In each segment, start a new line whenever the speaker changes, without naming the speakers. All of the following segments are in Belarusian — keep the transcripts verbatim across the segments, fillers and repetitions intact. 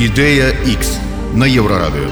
Ідэя Х на Еўрарадыё.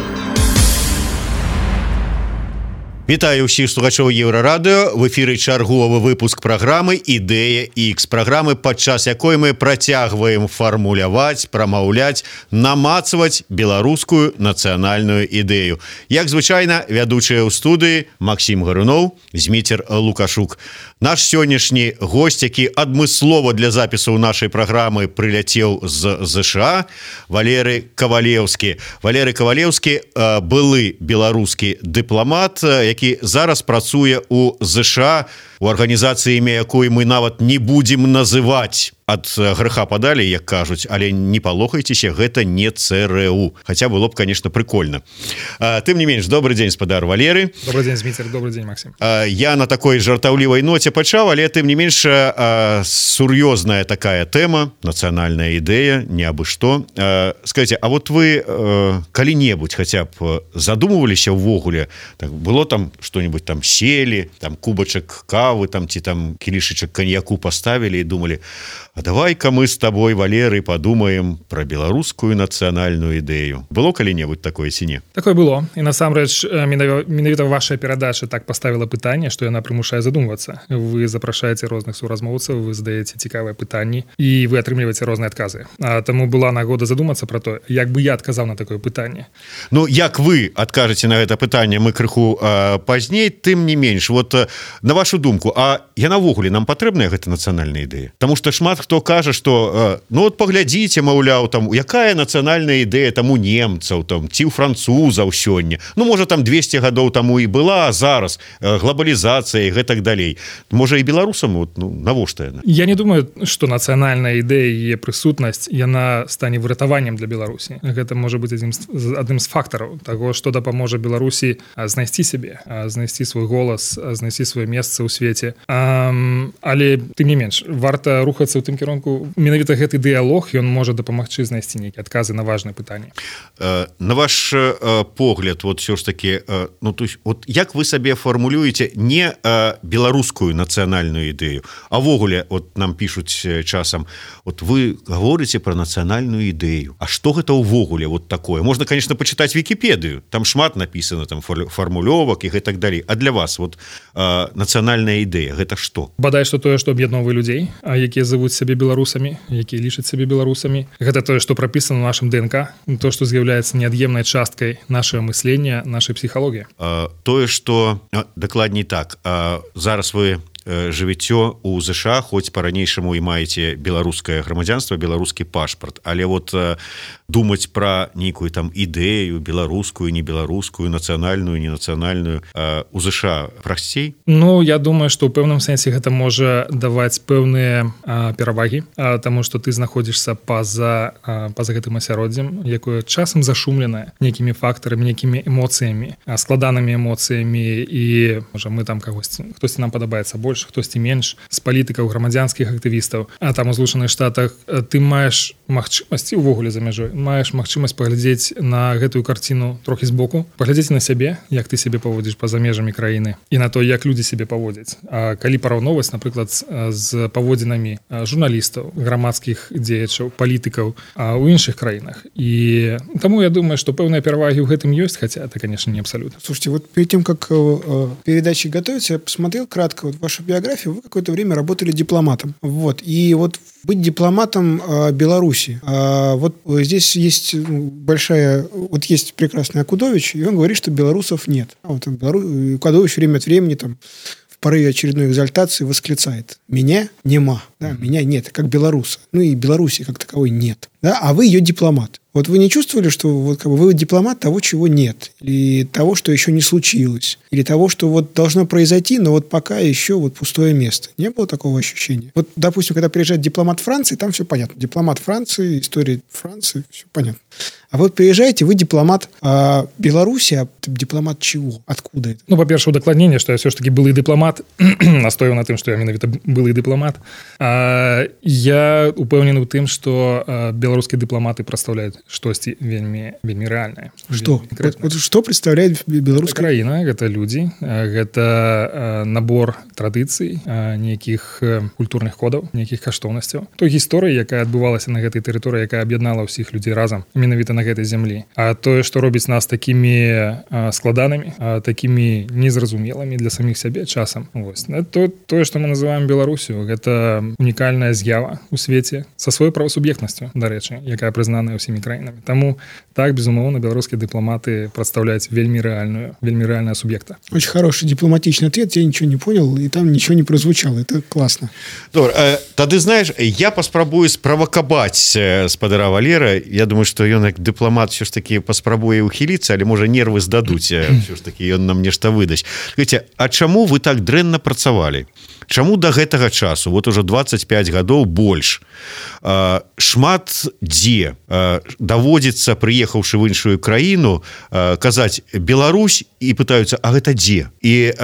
Вітаю ўсіх слухачоў Еўрарадыё. В эфіры чарговы выпуск праграмы «Ідэя Х». Праграмы, падчас якой мы працягваем фармуляваць, прамаўляць, намацваць беларускую нацыянальную ідэю. Як звычайна, вядучыя ў студыі Максім Гаруноў, Зміцер Лукашук. Наш сённяшні госць, які адмыслова для запісу нашай праграмы прыляцеў з ЗША, Валерый Кавалеўскі. Валерый Кавалеўскі – былы беларускі дыпламат, які зараз працуе ў ЗША, у арганізацыі, імя якой мы нават не будзем называць. Ад грэха падалі, як кажуць, але не палохайцеся, гэта не ЦРУ. Хаця было б, конечно, прикольно. Тым не менш, добрый дзень, спадар Валеры.
Добрый дзень, Зміцер, добрый дзень, Максим.
Я на такой жартаўлівай ноце пачаў, але тым не менш сур'ёзная такая тэма, нацыянальная ідэя, не абы што. Скажите, а вот вы калі-небудзь хаця б задумываліся ўвогуле, так, было там што-нибудь там селі, там кубачак кавы, там ці там кілішачак каньяку поставілі і думалі: а давай-ка мы с тобой, Валерый, подумаем про беларускую нацыянальную ідэю. Было калі-небудзь такое ці не?
Такое было. І насамрэч, менавіта ваша перадача так поставила пытанне, што яна прымушае задумвацца. Вы запрашаеце розных суразмоўцаў, вы задаеце цікавыя пытанні, і вы атрымліваеце розныя адказы. А таму была нагода задумацца про то, як бы я адказаў на такое пытанне.
Ну, як вы адкажаце на гэта пытанне, мы крыху а, пазней, тым не менш. Вот на вашу думку, а яна ўвогуле нам патрэбная гэта нацыянальная ідэя? Таму што шмат хто кажа, што ну вот паглядзіце, маўляў, там якая нацыянальная ідэя там у немцаў, там ці ў французаў сёння. Ну можа там двесце гадоў таму і была, а зараз глобалізацыя і гэтак далей. Можа і беларусам, вот, ну навошта яна?
Я не думаю, што нацыянальная ідэя і яе прысутнасць яна стане выратаваннем для Беларусі. Гэта можа быць адзін з, адным з фактараў таго, што дапаможа Беларусі знайсці сябе, знайсці свой голас, знайсці сваё месца ў свеце. А, але тым не менш, варта рухацца ў тым кірунку. Менавіта гэты дыялог, ён можа дапамагчы знайсці нейкія адказы на важныя пытанні.
На ваш погляд, вот все ж таки, ну то есть, вот як вы сабе фармулюеце не беларускую нацыянальную ідэю, а ввогуле вот нам пишуць часам, вот вы говорите про нацыянальную ідэю. А што гэта ўвогуле вот такое? Можна, конечно, почитать Википедию, там шмат написано, там фармулёвак і гэтак далей. А для вас вот нацыянальная ідэя гэта што?
Бадай што тое, што аб'ядноўвае людзей, якія зовут сябе беларусамі, якія лічаць сябе беларусамі. Гэта тое, што прапісана ў нашым ДНК, то, што з'яўляецца неад'емнай часткай нашага мыслення, нашай псіхалогіі.
Тое, што дакладней так, зараз вы жывіццё у ЗША, хоць па-ранейшаму і маеце беларускае грамадзянства, беларускі пашпарт, але вот думаць пра нейкую там ідэю беларускую, не беларускую, нацыянальную, не нацыянальную у ЗША прасцей?
Ну, я думаю, што ў пэўным сэнсе гэта можа даваць пэўныя а, перавагі, а, таму што ты знаходзішся па-за а, па-за гэтым асяроддзем, якое часам зашумленае нейкімі фактарамі, нейкімі эмоцыямі, а, складанымі эмоцыямі, і можа мы там кагосьці, хтосьці нам падабаецца больш, хтосьці менш, з палітыкаў, грамадзянскіх актывістаў. А там у Злучаных Штатах ты маеш магчымасць, увогуле за мяжой, маеш магчымасць паглядзець на гэтую карціну трохі збоку, паглядзець на сябе, як ты сябе паводзіш па-за межамі краіны, і на то, як людзі сябе паводзяць. А калі параўноўваць, напрыклад, з паводзінамі журналістаў, грамадскіх дзеячаў, палітыкаў у іншых краінах. І таму я думаю, што пэўныя перавагі ў гэтым ёсць, хаця это, конечно, не абсолютно.
Слушайте, вот перед тем, как э, передачи готовить, я посмотрел кратко вот вашу биографию. Вы какое-то время работали дипломатом. Вот. И вот быть дипломатом э, Беларуси. Э, вот здесь есть большая... Вот есть прекрасный Акудович, и он говорит, что белорусов нет. А вот Белору... Акудович время от времени там в порыве очередной экзальтации восклицает: «Меня нема». Да, меня нет, как белоруса. Ну и Беларуси как таковой нет. Да, а вы ее дипломат. Вот вы не чувствовали, что вот как бы вы дипломат того, чего нет, или того, что еще не случилось, или того, что вот должно произойти, но вот пока еще вот пустое место? Не было такого ощущения? Вот, допустим, когда приезжает дипломат Франции, там все понятно. Дипломат Франции, история Франции, все понятно. А вот приезжаете, вы дипломат а Беларуси, а дипломат чего? Откуда это?
Ну, по-перше, удакладненне, што я все ж таки былы дыпламат, настойваў на тым, што я менавіта былы дыпламат. А, я упэўнены ў тым, што беларускія дыпламаты прадстаўляюць штосьці вельмі вельмі рэальнае.
Што? Вот, вот што прадстаўляе беларуская
краіна? Гэта людзі, гэта набор традыцый, нейкіх культурных кодаў, нейкіх каштоўнасцяў. Той гісторыі, якая адбывалася на гэтай тэрыторыі, якая аб'яднала ўсіх людзей разам, менавіта на гэтай зямлі. А тое, што робіць нас такімі складанымі, такімі незразумелымі для саміх сябе часам. Вось. То, тое, што мы называем Беларусю, гэта унікальная з'ява ў свеце са сваёй правасуб'ектнасцю, дарэчы, якая прызнаная ўсімі краінамі. Таму так, безумоўна, беларускія дыпламаты прадстаўляюць вельмі рэальную, вельмі рэальная суб'екта.
Очень хороший дипломатичный ответ, я ничего не понял, и там ничего не прозвучало. Это классно.
Добре, тады, знаешь, я паспрабую справакабаць спадара Валера. Я думаю, што ён як дыпламат все ж таки паспрабуе ухіліцца, але можа нервы здадуць, все ж таки ён нам нешта выдасць. Скажите, а чаму вы так дрэнна працавалі? Чаму да гэтага часу, вот уже двадцать пять гадоў больш, шмат дзе даводзіцца, прыехаўшы в іншую краіну, казаць Беларусь, і пытаюцца, а гэта дзе? І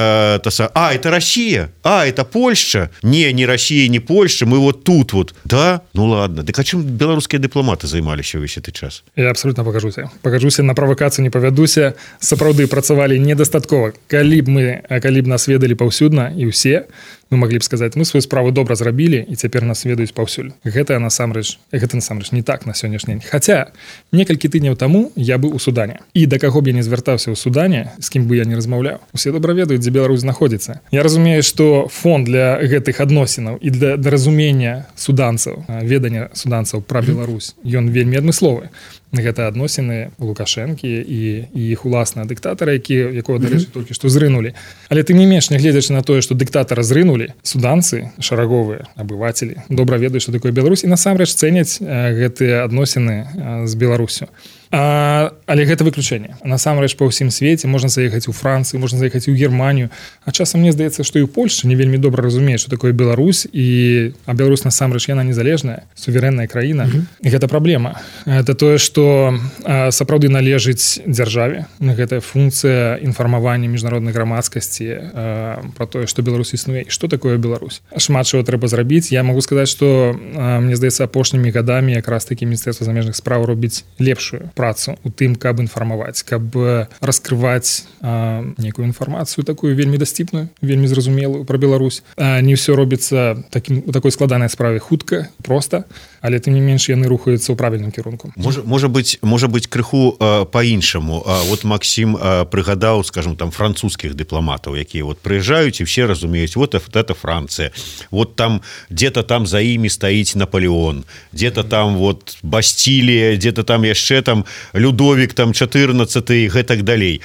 таса, а, это Россия, а, это Польша. Не, не Россия, не Польша, мы вот тут вот. Да? Ну ладно. Так а чым беларускія дыпламаты займаліся ўвесь гэты час?
Я абсолютно пакажуся. Пакажуся, на правакацыю не павядуся. Сапраўды працавалі недастаткова. Калі б мы, калі б нас ведалі паўсюдна, і ўсе, мы маглі б сказаць, мы сваю справу добра зрабілі, і цяпер нас ведаюць паўсюль. Гэта насамрэч, гэта насамрэч не так на сённяшні дзень. Хаця, некалькі тыдняў таму я быў у Судане. І да каго б я не звяртаўся ў Судане, з кім бы я не размаўляў. Усе добра ведаюць, дзе Беларусь знаходзіцца. Я разумею, што фон для гэтых адносінаў і для, для разумення суданцаў, ведання суданцаў пра Беларусь, ён вельмі адмысловы. Гэта адносіны Лукашэнкі і, і іх уласныя дыктатары, які, якого, дарэчы, толькі што зрынулі. Але тым не менш, нягледзячы на тое, што дыктатара зрынулі, суданцы, шараговыя абывацелі, добра ведаюць, што такое Беларусь, і насамрэч цэняць гэтыя адносіны з Беларусю. А, але гэта выключэнне. Насамрэч па ўсім свеце можна заехаць у Францыю, можна заехаць у Германію, а часам мне здаецца, што і ў Польшчы не вельмі добра разумее, што такое Беларусь, і а Беларусь насамрэч яна незалежная, суверэнная краіна. Mm-hmm. І гэта праблема. Гэта тое, што а, сапраўды належыць дзяржаве. Гэта функцыя інфармавання міжнароднай грамадскасці а, пра тое, што Беларусь існуе і што такое Беларусь. Шмат чаго трэба зрабіць. Я магу сказаць, што а, мне здаецца, апошнімі гадамі якраз такі Міністэрства замежных спраў робіць лепшую працу у тым, каб інфармаваць, каб раскрываць а, некую інфармацыю такую вельмі дасціпную, вельмі зразумелую пра Беларусь. А, не ўсё робіцца такім, у такой складанай справе хутка, проста, але тым не менш яны рухаюцца ў правільным кірунку.
Можа, можа быць, можа быць крыху а, па-іншаму. А, вот Максим а, прыгадаў, скажем, там французскіх дыпламатаў, якія вот прыязджаюць і все разумеюць, вот это Францыя, вот там где-то там за імі стаіць Наполеон, где-то там вот Бастилія, где-то там яшчэ там Людовік там чатырнаццаты і гэтак далей.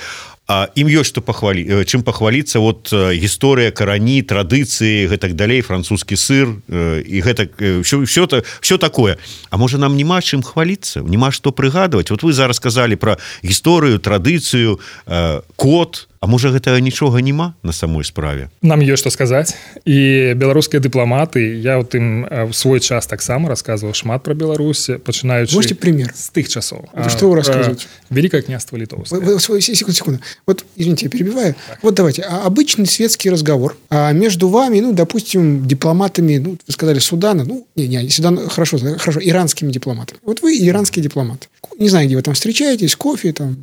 А ім ёсць што пахвалі, чым пахваліцца, вот гісторыя, карані, традыцыі, гэтак далей, французскі сыр і гэтак все, все, все такое. А можа нам няма чым хваліцца, няма што прыгадваць. Вот вы зараз сказалі пра гісторыю, традыцыю, код. А можа гэтага нічога няма на самой справе?
Нам ёсць што сказаць. І беларускія дыпламаты, я ў тым у свой час таксама расказваў шмат пра Беларусь, пачынаючы
Можете пример?
З тых часоў.
Это что вы рассказываете?
Великое княжество Литовское.
Секунду, секунду. Вот, извините, я перебиваю. Так. Вот давайте. А обычный светский разговор а между вами, ну, допустим, дипломатами, ну, вы сказали, Судана, ну, не, не, Судан, хорошо, хорошо, иранскими дипломатами. Вот вы иранские дипломаты. Не знаю, где вы там встречаетесь, кофе там.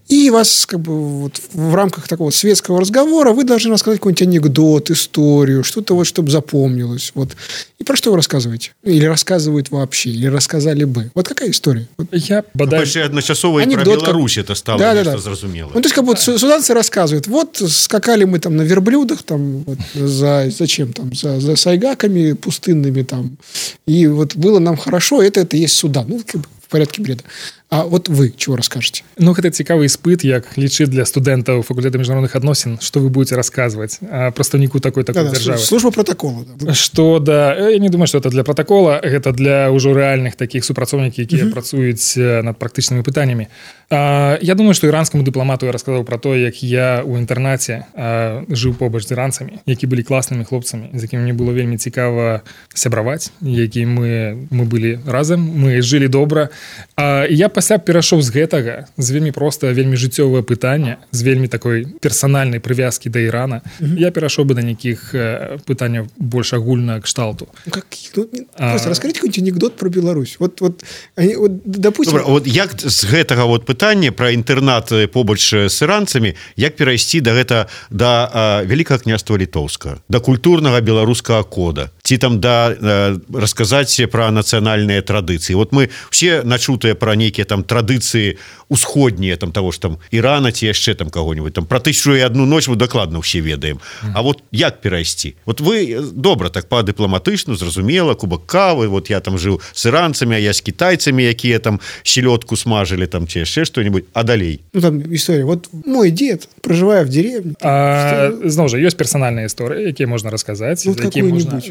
И вас, как бы, вот в рамках такого светского разговора вы должны рассказать какой-нибудь анекдот, историю, что-то вот, чтобы запомнилось. Вот. И про что вы рассказываете? Или рассказывают вообще, или рассказали бы. Вот какая история? Вот.
Я бодай...
Ну, одночасово и про Беларусь как... это стало
да,
нечто
да, да.
зразумелое.
Ну, то есть, как будто суданцы рассказывают, вот скакали мы там на верблюдах, там, вот, за, зачем там, за, за сайгаками пустынными там, и вот было нам хорошо, это, это есть Судан. Ну, как бы в порядке бреда. А вот вы чего расскажете?
Ну, гэта цікавы іспыт, як лічыць для студэнтаў факультэта міжнародных адносін, што вы будете расказваць прадстаўніку такой такой
да,
дзяржавы.
Да, служба протокола. Да.
Што да, я не думаю, што это для протакола, гэта для ўжо рэальных такіх супрацоўнікаў, якія uh-huh. працуюць над практычнымі пытаннямі. А, я думаю, што іранскаму дыпламату я расказаў пра то, як я ў інтэрнаце а, жыў побач з іранцамі, які былі класнымі хлопцамі, з якімі мне было вельмі цікава сябраваць, які мы, мы былі разам, мы жылі добра. А, я пасля перайшоў з гэтага, з вельмі проста, вельмі жыццёвае пытанне, з вельмі такой персанальнай прывязкі да Ірана, mm-hmm. я перайшоў бы да нейкіх пытанняў больш агульнага кшталту.
Как, ну, а... Просто расскажите какой-нибудь анекдот про Беларусь. Вот, вот, они, вот, допустим...
Добра, вот як з гэтага вот пытання пра інтэрнат побач з іранцамі, як перайсці да гэта да а, Вялікага княства Літоўскага, да культурнага беларускага кода? ці там да э, расказаць пра нацыянальныя традыцыі. Вот мы все начутыя пра нейкія там традыцыі усходнія там того ж там Ірана ці яшчэ там кого-нибудь там про тысячу і одну ноч мы дакладна ўсе ведаем. А вот як перайсці? Вот вы добра так па дыпламатычну зразумела, кубак кавы, вот я там жыў с іранцамі, а я з кітайцамі, якія там селёдку смажылі там ці яшчэ што-нибудь, а далей.
Ну там история. Вот мой дед, проживая в деревне.
А, зноў жа, ёсць персанальныя історыі, якія можна расказаць,
ну,
якія можна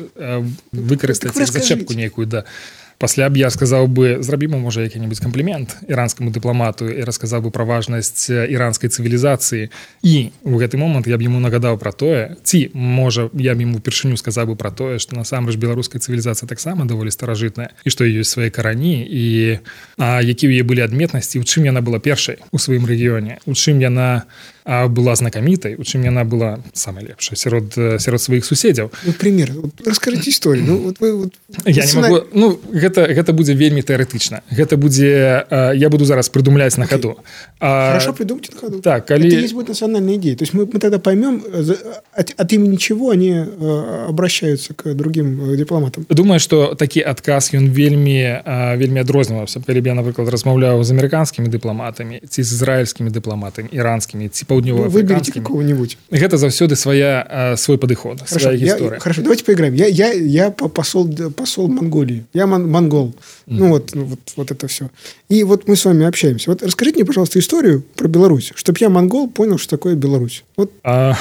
выкарыстаць як зачэпку нейкую, да. Пасля б я сказаў бы, зрабімо можа які-небудзь камплімент іранскаму дыпламату і расказаў бы пра важнасць іранскай цывілізацыі. І ў гэты момант я б яму нагадаў пра тое, ці можа я б яму упершыню сказаў бы пра тое, што насамрэч беларуская цывілізацыя таксама даволі старажытная і што ёсць свае карані і а, які ў яе былі адметнасці, у чым яна была першай у сваім рэгіёне, у чым яна а была знакамітай, у чым яна была самая лепшая сярод сярод сваіх суседзяў.
Ну, пример, вот, раскажыце історыю. Ну, вот вы, вот,
я не могу, ну, гэта, гэта будзе вельмі тэарэтычна. Гэта будзе, а, я буду зараз придумлять на ходу. А,
Хорошо, придумайте на ходу.
Так, коли...
Это есть будет национальная идея. То есть мы, мы тогда поймем, от, от имени чего они а, обращаются к другим дипломатам.
Думаю, что такі адказ, ён вельмі, а, вельмі адрозніваўся. Калі б я, напрыклад, размаўляў з амерыканскімі дыпламатамі, ці з ізраільскімі дыпламатамі, іранскімі, ці
Ну, выберите какого-нибудь.
Это заўсёды своя, свой подход, своя история.
Хорошо, давайте поиграем. Я, я, я посол, посол Монголии. Я мон, монгол. Mm. Ну, вот, ну вот, вот это все. И вот мы с вами общаемся. Вот расскажите мне, пожалуйста, историю про Беларусь, чтобы я, монгол, понял, что такое Беларусь. Вот.
А,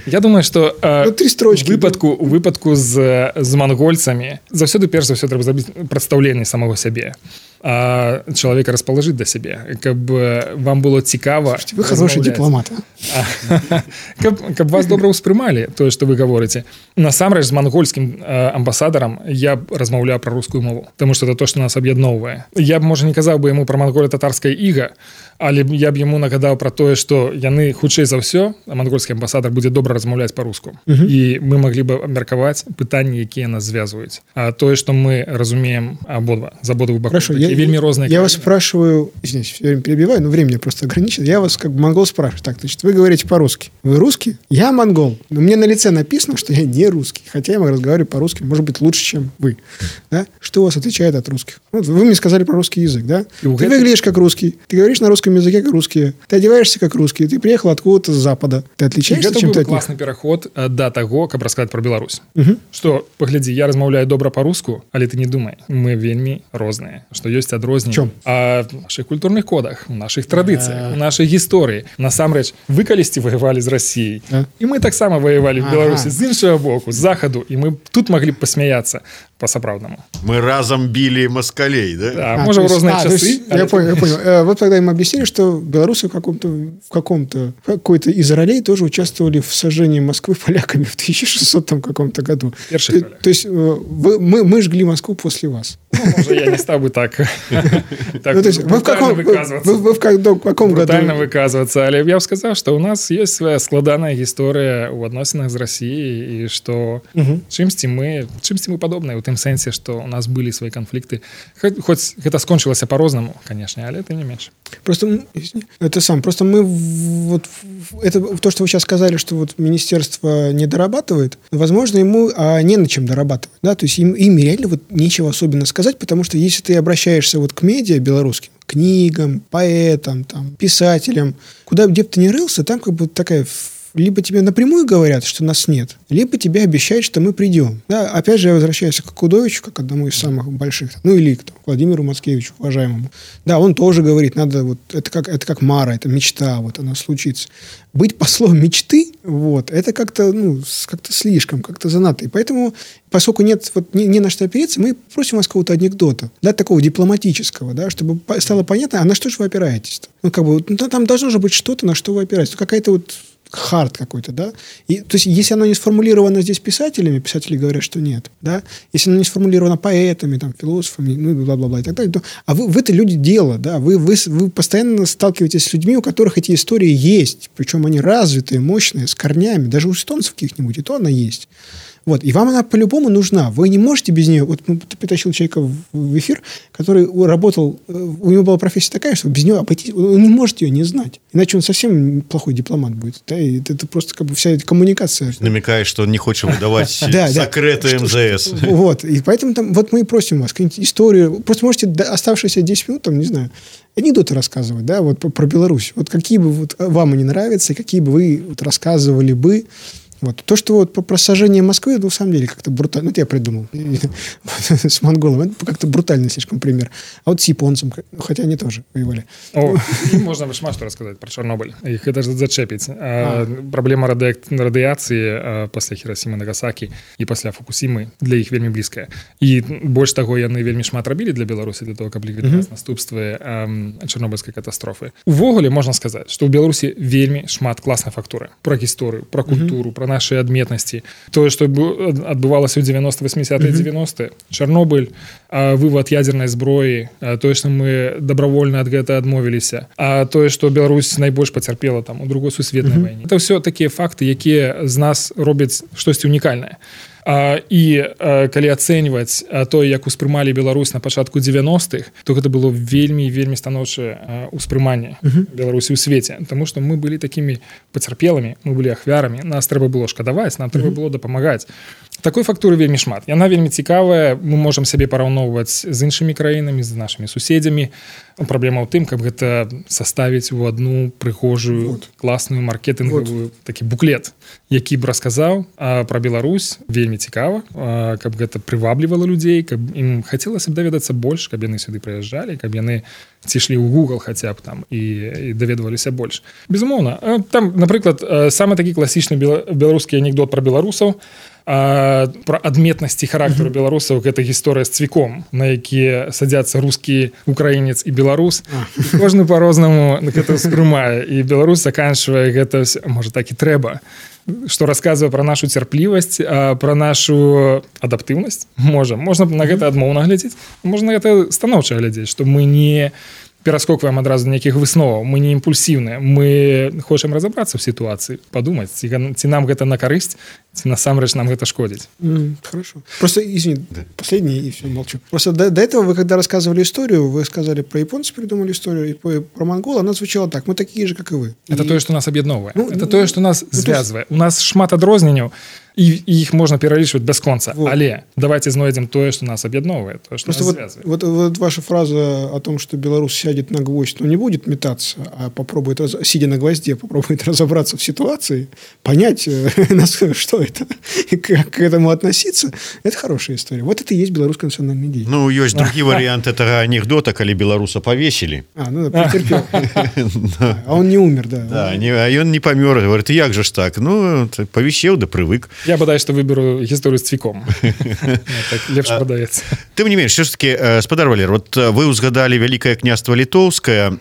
я думаю, что
ну, три строчки,
у выпадку, у выпадку з, з монгольцами заўсёды перш за ўсё трэба зрабіць прадстаўленне самого сябе. А чалавека распалажыць да сябе, каб вам было цікава.
Вы хороший дипломат.
Каб, каб вас добра ўспрымалі тое, што вы гаворыце. Насамрэч з мангольскім амбасадарам я б размаўляў пра рускую мову, таму што это то, што нас аб'ядноўвае. Я б, можа, не казаў бы яму пра манголя-татарскае іга, але я б яму нагадаў пра тое, што яны хутчэй за ўсё, мангольскі амбасадар будзе добра размаўляць па-руску. Uh-huh. І мы маглі бы абмеркаваць пытанні, якія нас звязваюць. А тое, што мы разумеем абодва, з абодвых бакоў.
Хорошо, я,
вельмі розныя.
Я вас спрашиваю, извините, все время перебиваю, но времени просто ограничено. Я вас как монгол спрашиваю. Так, значит, вы говорите по-русски. Вы русский? Я монгол. Но мне на лице написано, что я не русский. Хотя я разговариваю по-русски, может быть, лучше, чем вы. Да? Что у вас отличает от русских? Вот вы мне сказали про русский язык, да? Ты это... выглядишь как русский. Ты говоришь на русском языке как русские. Ты одеваешься как русский. Ты приехал откуда-то с запада. Ты отличаешься чем-то от них?
Это классный переход до того, как рассказать про Беларусь. Угу. Что, погляди, я размаўляю добра по-руску, але ты не думай. Мы вельмі розныя. Что есть адрозненне.
В чем?
А в наших культурных кодах, в наших традициях, в нашей истории. Насамрэч, вы калісьці воевали с Россией. А? И мы так само воевали в Беларуси с іншого боку, с заходу. И мы тут могли посмеяться по-сапраўднаму.
Мы разом били москалей, да?
Да, а, может, в разные
а,
часы.
Я это... понял, я понял. Вот тогда им объяснили, что белорусы в каком-то, в каком-то, какой-то из ролей тоже участвовали в сожжении Москвы поляками в тысяча шестисотом каком-то году.
Перший
то, то есть вы, мы, мы жгли Москву после вас.
Ну, может, я не стал бы так, так
ну, то есть, вы в каком,
выказываться.
Вы, вы в каком, каком году?
Брутально выказываться. Але я бы сказал, что у нас есть своя складаная история в относинах с Россией, и что угу. чимсьці мы, чимсьці мы подобные, в том сенсе, что у нас были свои конфликты. Хоть, хоть это скончилось по-разному, конечно, але это не меньше.
Просто это сам, просто мы вот это то, что вы сейчас сказали, что вот министерство не дорабатывает, возможно, ему а, не на чем дорабатывать, да, то есть им, им реально вот нечего особенно сказать, потому что если ты обращаешься вот к медиа белорусским, книгам, поэтам, там, писателям, куда где бы ты ни рылся, там как бы такая либо тебе напрямую говорят, что нас нет, либо тебе обещают, что мы придем. Да, опять же, я возвращаюсь к Кудовичу, как одному из самых больших, ну или к Владимиру Мацкевичу, уважаемому. Да, он тоже говорит, надо вот, это как, это как Мара, это мечта, вот она случится. Быть послом мечты, вот, это как-то, ну, как-то слишком, как-то занадто. И поэтому, поскольку нет вот, не, не на что опереться, мы просим вас какого-то анекдота, да, такого дипломатического, да, чтобы стало понятно, а на что же вы опираетесь-то? Ну, как бы, ну, там должно же быть что-то, на что вы опираетесь. Какая-то вот хард какой-то, да? И, то есть, если оно не сформулировано здесь писателями, писатели говорят, что нет, да? Если оно не сформулировано поэтами, там, философами, ну, и бла-бла-бла и так далее, то, а вы, вы-то люди дела, да? Вы, вы, вы постоянно сталкиваетесь с людьми, у которых эти истории есть, причем они развитые, мощные, с корнями, даже у эстонцев каких-нибудь, и то она есть. Вот. И вам она по-любому нужна. Вы не можете без нее... Вот ты притащил человека в эфир, который работал... У него была профессия такая, что без нее обойтись... Вы не можете ее не знать. Иначе он совсем плохой дипломат будет. Да? И это просто как бы вся эта коммуникация.
Намекаешь, что он не хочет выдавать секреты эм зэ эс.
Вот. И поэтому там... Вот мы и просим вас какую-нибудь историю. Просто можете оставшиеся десять минут, там, не знаю, анекдоты рассказывать, да, вот про Беларусь. Вот какие бы вот вам они нравятся, какие бы вы вот рассказывали бы. Вот. То, что вот про сожжение Москвы, ну, на самом деле, как-то брутально. Ну, это я придумал. С монголом. Это как-то брутальный слишком пример. А вот с японцем, хотя они тоже воевали.
О, можно шмат что рассказать про Чернобыль. Их это зачепить. А. Проблема ради... радыяцыі пасля Хіросімы, Нагасакі і пасля Фукусімы для іх вельмі блізкая. І больш таго, яны вельмі шмат рабілі для Беларусі, для того, каб ліквідаваць наступствы чарнобыльскай катастрофы. Увогуле можна сказаць, што ў Беларусі вельмі шмат класнай фактуры. Пра гісторыю, пра культуру, пра наши адметнасці. Тое, што адбывалася ў девяносто восьмидесятые девяностые, Чарнобыль, вывод ядернай зброі, тое, што мы добровольна ад гэта адмовіліся, а тое, што Беларусь найбольш пацярпела там у другой сусветнай вайне. Это ўсё такія факты, якія з нас робяць штосьці унікальнае. А, і а, калі ацэньваць тое, як успрымалі Беларусь на пачатку девяностых, то гэта было вельмі вельмі станоўчае успрыманне uh-huh. Беларусі ў свеце, таму што мы былі такімі пацярпелымі, мы былі ахвярамі, нас трэба было шкадаваць, нам трэба uh-huh. было дапамагаць. Такой фактуры вельмі шмат. Яна вельмі цікавая, мы можам сябе параўноўваць з іншымі краінамі, з нашымі суседзямі. Праблема ў тым, каб гэта саставіць у одну прыгожую, вот. класную маркетынгавую вот. такі буклет, які б расказаў пра Беларусь, вельмі цікава, а, каб гэта прываблівала людзей, каб ім хацелася б даведацца больш, каб яны сюды прыязджалі, каб яны ці ішлі ў Google хаця б там і, і даведваліся больш. Безумоўна, там, напрыклад, самы такі класічны беларускі анекдот пра беларусаў, А, про адметнасці характару uh-huh. беларусаў, гэта гісторыя з цвіком, на якія садзяцца рускі, украінец і беларус. Uh-huh. Кожны па-рознаму гэта ўспрымае, і беларус заканчвае гэта, можа, так і трэба, што расказвае пра нашу цярплівасць, пра нашу адаптыўнасць. Можа, можна на гэта адмоўна глядзець, можна на гэта станоўча глядзець, што мы не пераскокваем адразу нейкіх высноваў, мы не імпульсіўныя, мы хочам разабрацца ў сітуацыі, падумаць, ці, ці нам гэта на карысць, ці насамрэч нам гэта шкодзіць.
Mm, хорошо. Просто, извини, да. последний, и все, молчу. Просто до, до этого вы, когда рассказывали историю, вы сказали про японцев, придумали историю, и про, про монгола, она звучала так, мы такие же, как и вы.
Это
и...
тое, што нас аб'ядноўвае. Ну, это
ну,
тое, што нас ну, звязвае. У нас шмат адрозненняў, і іх можна пералічваць бясконца. Вот. Але давайте знойдзем тое, што нас аб'ядноўвае, тое, што
Просто
нас
вот,
звязвае.
Вот, вот ваша фраза о том, что Беларусь сядет на гвоздь, но не будет метаться, а попробует, сидя на гвозде, попробует разобраться в ситуации, понять, что это, и как к этому относиться, это хорошая история. Вот это и есть белорусская национальная идея.
Ну, есть другие варианты этого анекдота, когда белоруса повесили.
А, ну да, претерпел. А он не умер, да.
Да, а он не помер. Говорит, як же ж так? Ну, повесел, да привык.
Я бодай, что выберу историю с цвіком. Так лепш подаецца.
Тым не менш, все ж таки, спадар Валер, вот вы узгадали Великое княство Литовское,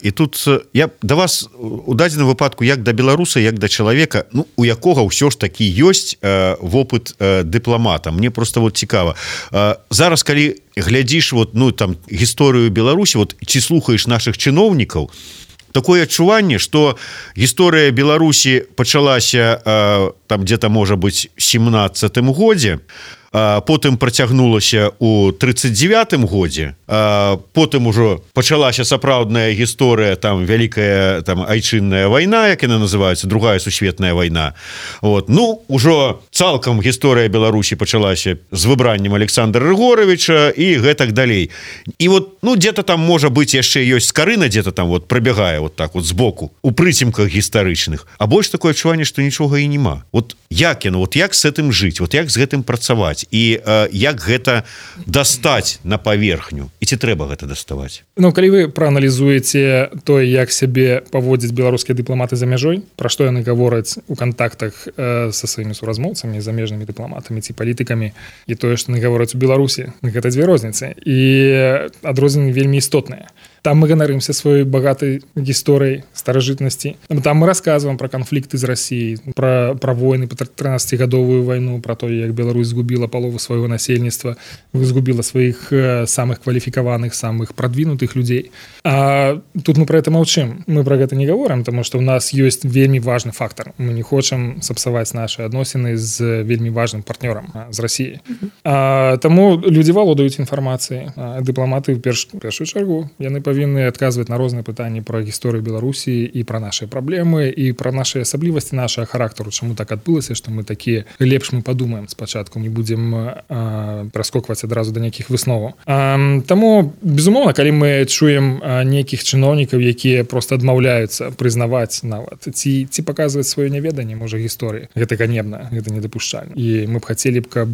и тут я до вас у дадзеным выпадку як да беларуса, як да чалавека, ну, у якога ўсё ж таки ёсць вопыт дыпламата. Мне просто вот цікава. Зараз, калі глядзіш вот, ну, там, гісторыю Беларусі, вот, ці слухаеш наших чыноўнікаў, такое адчуванне, што гісторыя Беларусі пачалася э, там где-то, можа быць, семнадцатым годзе, э, потым працягнулася ў тридцать девятым годзе, э, потым ужо пачалася сапраўдная гісторыя, там, вялікая там айчынная вайна, як яна называецца, другая сусветная вайна. Вот. Ну, ужо цалкам гісторыя Беларусі пачалася з выбраннем Александра Рыгоровича і гэтак далей. І вот, ну, где-то там, можа быць, яшчэ ёсць скарына, где-то там вот прабягае вот так вот збоку, у прыцемках гістарычных. А больш такое адчуванне, што нічога і нема. Вот як яно, вот як з гэтым жыць, вот як з гэтым працаваць, і э, як гэта дастаць на паверхню, і ці трэба гэта даставаць?
Ну, калі вы прааналізуеце тое, як сябе паводзяць беларускія дыпламаты за мяжой, пра што яны гавораць у кантактах э, са сваімі суразмоўцамі, замежнымі дыпламатамі ці палітыкамі, і тое, што яны гавораць у Беларусі, гэта дзве розніцы. І адрозненні вельмі істотныя. там мы ганарымся сваёй багатай гісторыяй старажытнасці. Там мы рассказываем про канфлікты з Россией, про, про войны, про трынаццацігадовую вайну, про то, як Беларусь згубіла палову свайго насельніцтва, згубіла сваіх самых кваліфікаваных, самых продвинутых людзей. А тут мы про это молчим. Мы про гэта не говорим, потому что у нас есть вельмі важный фактор. Мы не хочам сапсаваць наши адносіны з вельмі важным партнёрам з Россией. А, таму людзі валодаюць інфармацыяй. Дыпламаты в перш, першую чаргу яны павінны адказваць на розныя пытанні про гісторыю Беларусі і про наши праблемы і про наши асаблівасці нашага характару, чаму так адбылася, што мы такія лепш мы падумаем спачатку, не будзем праскокваць адразу да нейкіх высноваў. А, таму безумоўна, калі мы чуем нейкіх чыноўнікаў, якія просто адмаўляюцца прызнаваць нават ці ці паказваць сваё няведанне можа гісторыі, гэта ганебна, гэта недапушчальна. І мы б хацелі б, каб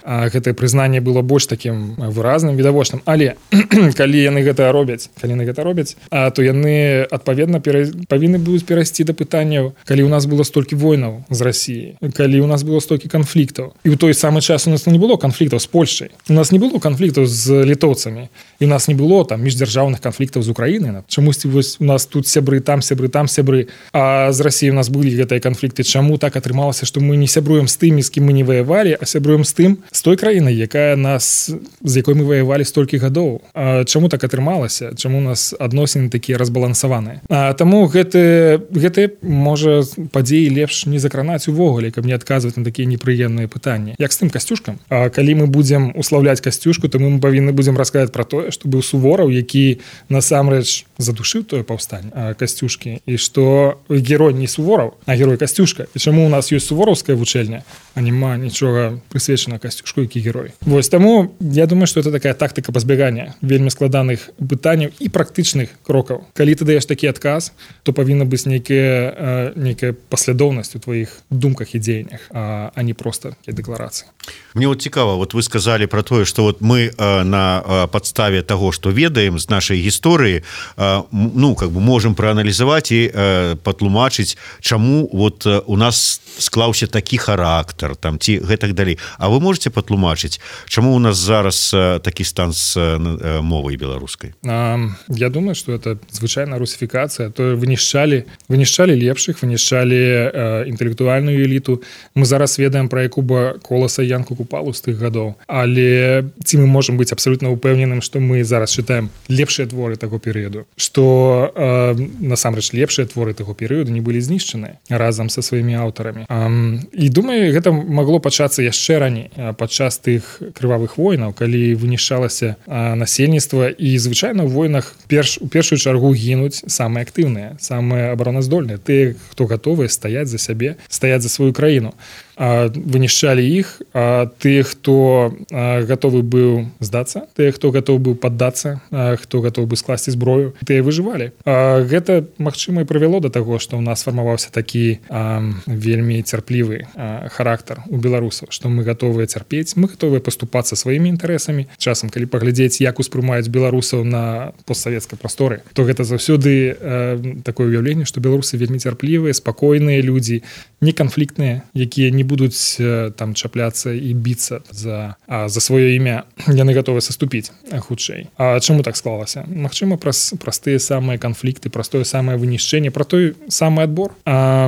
гэтае прызнанне было больш такім выразным, відавочным. Але калі яны гэта робяць, калі яны гэта робяць, а то яны адпаведна пера... павінны будуць перайсці да пытанняў, калі у нас было столькі войнаў з Россией, калі у нас было столькі канфліктаў. І ў той самы час у нас не было канфліктаў з Польшай, у нас не было канфліктаў з літоўцамі, і у нас не было там міждзяржаўных канфліктаў з Украінай. Чамусьці вось у нас тут сябры, там сябры, там сябры, а з Россией у нас былі гэтыя канфлікты. Чаму так атрымалася, што мы не сябруем з тымі, з кім мы не ваявалі, а сябруем з тым, з той краінай, якая нас, з якой мы ваявалі столькі гадоў. А чаму так атрымалася? Чаму у нас адносіны такія разбалансаваныя? А таму гэты, гэты можа падзеі лепш не закранаць увогуле, каб не адказваць на такія непрыемныя пытанні. Як з тым Касцюшкам? А калі мы будзем уславляць Касцюшку, то мы павінны будзем расказаць пра тое, што быў Сувораў, які насамрэч задушыў тое паўстанне Касцюшкі, і што герой не Сувораў, а герой Касцюшка. І чаму у нас ёсць сувораўская вучэльня, а няма нічога прысвечана Касцюшку, які герой. Вось таму я думаю, што это такая тактыка пазбягання вельмі складаных пытанняў і практычных крокаў. Калі ты даеш такі адказ, то павінна быць нейкая, нейкая паслядоўнасць у тваіх думках і дзеяннях, а, а не проста дэкларацыі.
Мне вот цікава, вот вы сказали про тое, что вот мы э, на э, подставе того, что ведаем з нашай гісторыі, э, ну как бы можем проаналізаваць і э, патлумачыць, чаму вот э, у нас склаўся такі характар там ці гэтак далей. А вы можете патлумачыць, чаму у нас зараз э, такі стан з э, мовай беларускай?
А, я думаю, что это звычайная русифікацыя. То вынішчалі, вынішчалі лепшых, вынішчалі э, інтэлектуальную эліту. Мы зараз ведаем про Якуба Коласа, Янку Купалу з тых гадоў. Але ці мы можам быць абсолютно упэўненым, што мы зараз чытаем лепшыя творы таго перыяду, што э, насамрэч лепшыя творы таго перыяду не былі знішчаны разам са сваімі аўтарамі. Э, і думаю, гэта магло пачацца яшчэ раней, падчас тых крывавых войнаў, калі вынішчалася э, насельніцтва, і звычайна ў войнах перш, у першую чаргу гінуць самыя актыўныя, самыя абароназдольныя, тыя, хто гатовы стаяць за сябе, стаяць за сваю краіну. Вынішчалі іх, а тых, хто гатовы быў здацца, тыя, хто гатовы быў паддацца, хто гатовы быў скласці зброю, тыя выжывалі. Гэта, магчыма, і прывяло да таго, што ў нас фармаваўся такі а, вельмі цярплівы а, характар у беларусаў, што мы гатовыя цярпець, мы гатовыя паступацца сваімі інтарэсамі. Часам, калі паглядзець, як успрымаюць беларусаў на постсавецкай прасторы, то гэта заўсёды а, такое ўяўленне, што беларусы вельмі цярплівыя, спакойныя людзі, неканфліктныя, якія не будуць там чапляцца і біцца за, а, за сваё імя. Яны гатовы саступіць хутчэй. А чаму так склалася? Магчыма, праз, праз тыя самыя канфлікты, праз тое самае вынішчэнне, пра той самы адбор. А,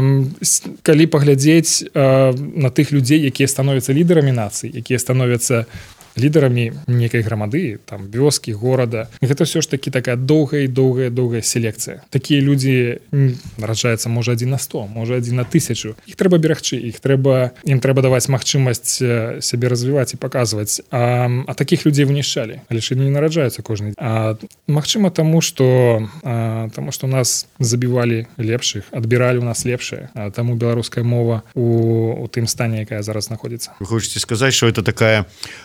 калі паглядзець а, на тых людзей, якія становяцца лідарамі нацыі, якія становяцца лідарамі нейкай грамады, там, вёскі, горада. Гэта ўсё ж такі такая доўгая, доўгая, доўгая селекцыя. Такія людзі нараджаюцца, можа, адзін на сто, можа, адзін на тысячу. Іх трэба берагчы, іх трэба, ім трэба даваць магчымасць сябе развіваць і паказваць. А, а такіх людзей вынішчалі, але ж не нараджаюцца кожны. А магчыма, таму, што а, таму, што нас забівалі лепшых, адбіралі ў нас лепшае, а таму беларуская мова у, у тым стане, якая зараз знаходзіцца.
Вы хочаце сказаць, што это такая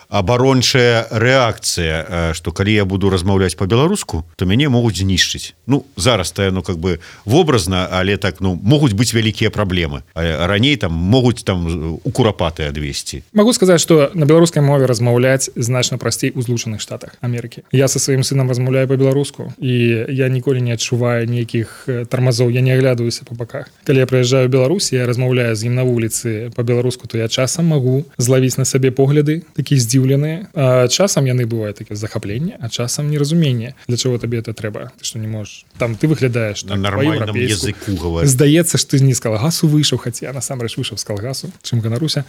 абарончая рэакцыя, што калі я буду размаўляць по-беларуску, то мяне могуць знішчыць. Ну, зараз-то, ну, как бы вобразна, але так, ну, могуць быць вялікія праблемы. А раней там могуць там у курапаты адвесці.
Магу сказаць, што на беларускай мове размаўляць значна прасцей у Злучаных Штатах Амерыкі. Я са сваім сынам размаўляю па-беларуску, і я ніколі не адчуваю нейкіх тармазоў, я не аглядаюся па баках. Калі я прыязджаю ў Беларусь, я размаўляю з ім на вуліцы па-беларуску, то я часам магу злавіць на сабе погляды, такія здзіўныя, здзіўленыя. Часам яны бываюць такія захапленне, а часам неразуменне, для чаго табе это трэба, ты што не можаш, там ты выглядаеш так,
на нармальным языку говоришь.
Здаецца, што ты не з калгасу выйшаў, хаця насамрэч выйшаў з калгасу, чым ганаруся.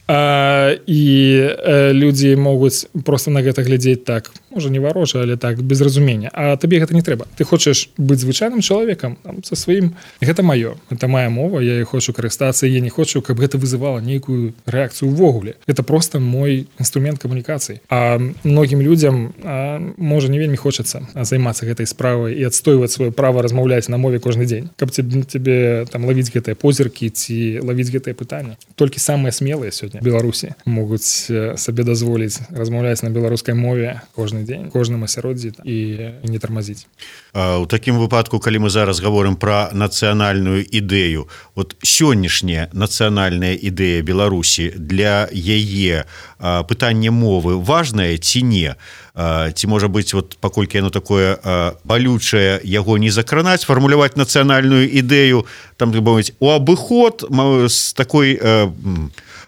А, і э, людзі могуць просто на гэта глядзець так, можа не варожа, але так без разумення, а табе гэта не трэба. Ты хочаш быць звычайным чалавекам там, са сваім, гэта маё, гэта моя мова, я хочу карыстацца, я не хочу, каб гэта вызывала нейкую рэакцыю ўвогуле. Это просто мой інструмент камунікацыі. А многім людзям а, можа не вельмі хочацца займацца гэтай справай і адстойваць сваё права размаўляць на мове кожны дзень, каб тебе, тебе там лавіць гэтыя позіркі ці лавіць гэтыя пытанні. Толькі самыя смелыя сёння Беларусі могуць сабе дазволіць размаўляць на беларускай мове кожны дзень, кожным асяроддзі і не тармазіць.
У такім выпадку, калі мы зараз гаворым пра нацыянальную ідэю, вот сённяшняя нацыянальная ідэя Беларусі, для яе пытанне мовы важнае ці не? Ці можа быць, вот, паколькі яно такое балючае, яго не закранаць, фармуляваць нацыянальную ідэю, там, так мовіць, у абыход з такой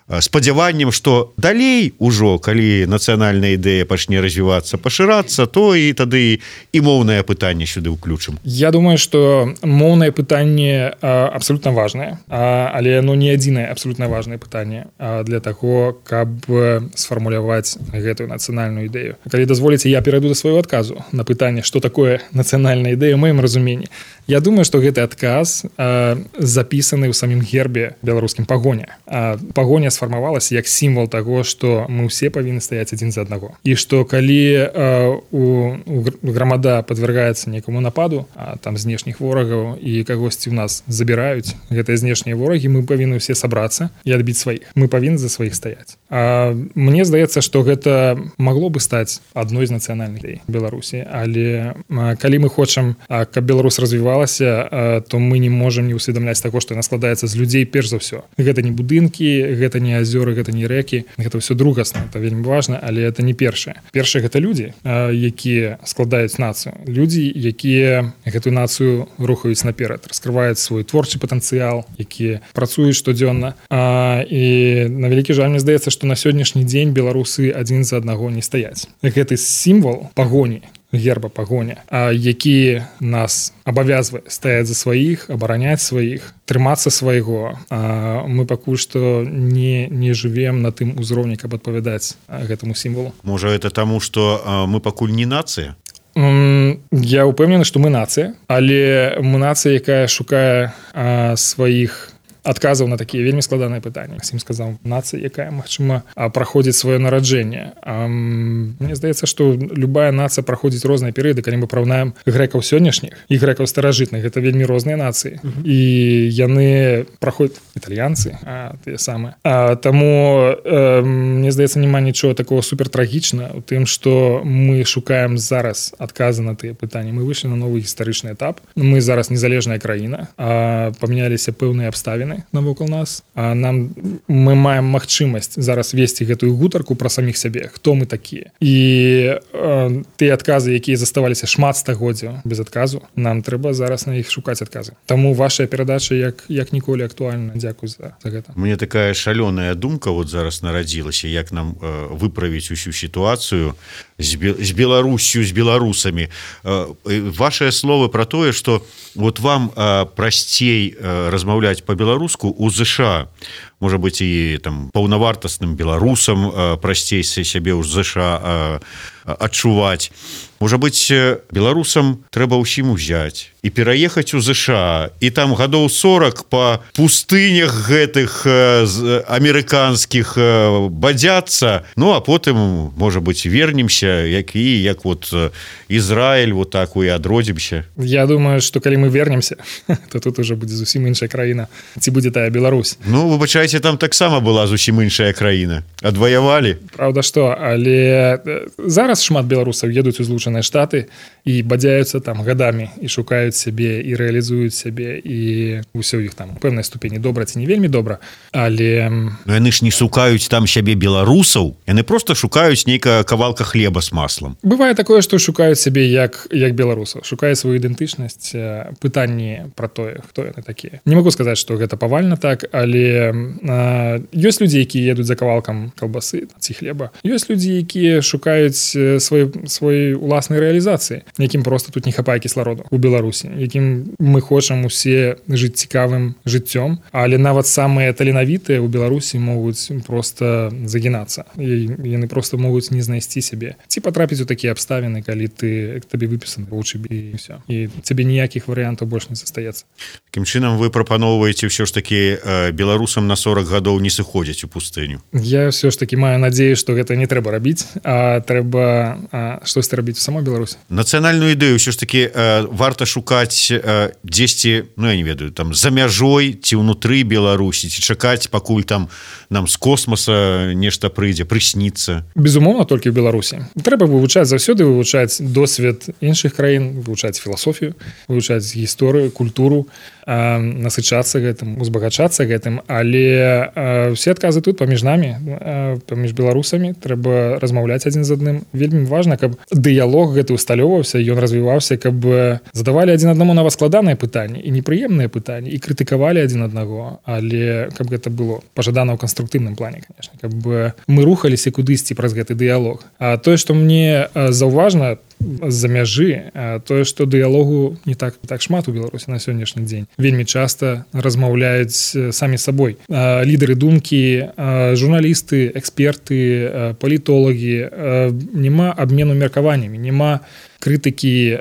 спадзяваннем, што далей ужо, калі нацыянальная ідэя пачне развівацца, пашырацца, то і тады і моўнае пытанне сюды ўключым.
Я думаю, што моўнае пытанне абсолютна важнае, але оно не адзінае абсолютна важнае пытанне для таго, каб сфармуляваць гэтую нацыянальную ідэю. Калі дазволіце, я перайду да свайго адказу на пытанне, што такое нацыянальная ідэя ў маім разуменні. Я думаю, што гэты адказ запісаны ў самім гербе беларускім пагоня. Пагоня сфармавалася як сімвал таго, што мы ўсе павінны стаяць адзін за аднаго. І што калі у, у грамада падвяргаецца нейкаму нападу, а там знешніх ворагаў і кагосьці ў нас забіраюць гэтыя знешнія ворагі, мы павінны ўсе сабрацца і адбіць сваіх. Мы павінны за сваіх стаяць. А мне здаецца, што гэта магло бы стаць адной з нацыянальных ідэй Беларусі, але калі мы хочам, каб Беларусь развівалася, то мы не можам не усведамляць таго, што яна складаецца з людзей перш за ўсё. Гэта не будынкі, гэта не азёры, гэта не рэкі, гэта ўсё другасна, это вельмі важна, але это не першае. Першае гэта людзі, якія складаюць нацыю. Людзі, якія гэтую нацыю рухаюць наперад, раскрываюць свой творчы патэнцыял, якія працуюць штодзённа. І на вялікі жаль, мне здаецца, што на сённяшні дзень беларусы адзін за аднаго не стаяць. Гэты сімвал пагоні, герба пагоня, які нас абавязвае стаяць за сваіх, абараняць сваіх, трымацца свайго. Мы пакуль што не, не жывем на тым узроўні, каб адпавядаць гэтаму сімвалу.
Можа, это таму, што мы пакуль не нацыя?
Я ўпэўнены, што мы нацыя, але мы нацыя, якая шукае сваіх адказаў на такія вельмі складаныя пытанні. Максім сказаў, нацыя, якая, магчыма, праходзіць сваё нараджэнне. Мне здаецца, што любая нацыя праходзіць розныя перыяды, калі мы параўнаем грэкаў сённяшніх і грэкаў старажытных, гэта вельмі розныя нацыі. Uh-huh. І яны праходзяць італьянцы, а тыя самыя. А, таму э, мне здаецца, няма нічого такого супертрагічна у тым, што мы шукаем зараз адказы на тыя пытанні. Мы выйшлі на новы гістарычны этап. Мы зараз незалежная краіна, а памяняліся пэўныя абставіны навокал нас, а нам мы маем магчымасць зараз весці гэтую гутарку пра саміх сябе, хто мы такія. І э, тыя адказы, якія заставаліся шмат стагоддзяў без адказу, нам трэба зараз на іх шукаць адказы. Таму вашая перадача як, як ніколі актуальна. Дзякуй за, за гэта.
Мне такая шалёная думка вот зараз нарадзілася, як нам э, выправіць усю сітуацыю з, з Беларусю, з беларусамі. Э, вашыя словы пра тое, што вот вам э, прасцей э, размаўляць па-беларуску у ЗША, можа быць і там паўнавартасным беларусам прасцей сябе ў ЗША адчуваць. Можа быць, беларусам трэба ўсім узяць і пераехаць у ЗША, і там гадоў сорак па пустынях гэтых амерыканскіх бадзяцца, ну а потым, можа быць, вернемся, як і як вот Ізраіль, вот так і адродзімся.
Я думаю, што калі мы вернемся, то тут уже будзе зусім іншая краіна. Ці будзе тая Беларусь?
Ну, выбачайце, там таксама была зусім іншая краіна. Адваявалі.
Праўда, што, але зараз шмат беларусаў едуць у Злучаныя Злучаныя Штаты і бадзяюцца там гадамі і шукаюць сябе і рэалізуюць сябе і ўсё іх там у пэўнай ступені добра ці не вельмі добра, але
но яны ж не шукаюць там сябе беларусаў, яны просто шукаюць нейкая кавалка хлеба з маслом.
Бывае такое, што шукаюць сябе як як беларусаў, шукаюць сваю ідэнтычнасць, пытанні пра тое, хто яны такія. Не могу сказаць, што гэта павальна так, але а, ёсць людзі, якія едуць за кавалкам калбасы ці хлеба. Ёсць людзі, якія шукаюць свой свой уласнай рэалізацыі, якім просто тут не хапае кіслароду у Беларусі, якім мы хочам усе жыць цікавым жыццём, але нават самыя таленавітыя ў Беларусі могуць просто загінацца. І яны просто могуць не знайсці сябе. Ці патрапіць у такія абставіны, калі ты табе выпісаны вучыбе і ўсё. І цябе ніякіх варыянтаў больш не застаецца.
Такім чынам вы прапаноўваеце ўсё ж такі э, беларусам на сорок гадоў не сыходзяць у пустыню.
Я ўсё ж такі маю надзею, што гэта не трэба рабіць, а трэба а, штосьці рабіць у самой Беларусі.
Нацыянальную ідэю ўсё ж такі э, варта шукаць э, дзесьці, ну я не ведаю, там за мяжой ці ўнутры Беларусі, ці чакаць, пакуль там нам з космоса нешта прыйдзе, прысніцца.
Безумоўна, толькі ў Беларусі. Трэба вывучаць заўсёды, вывучаць досвед іншых краін, вывучаць філасофію, вывучаць гісторыю, культуру, э, насычацца гэтым, узбагачацца гэтым, але э, все адказы тут паміж намі, э, паміж беларусамі, трэба размаўляць адзін з адным. Вельмі важна, каб дыялог гэты усталёўваўся, ён развіваўся, каб задавалі адзін аднаму нават складаныя пытанні і непрыемныя пытанні і крытыкавалі адзін аднаго, але каб гэта было пажадана ў канструктыўным плане, конечно, каб мы рухаліся кудысьці праз гэты дыялог. А тое, што мне заўважна з-за мяжы, тое, што дыялогу не так так шмат у Беларусі на сённяшні дзень. Вельмі часта размаўляюць самі сабой. Лідары думкі, журналісты, эксперты, палітолагі, няма абмену меркаваннямі, няма крытыкі,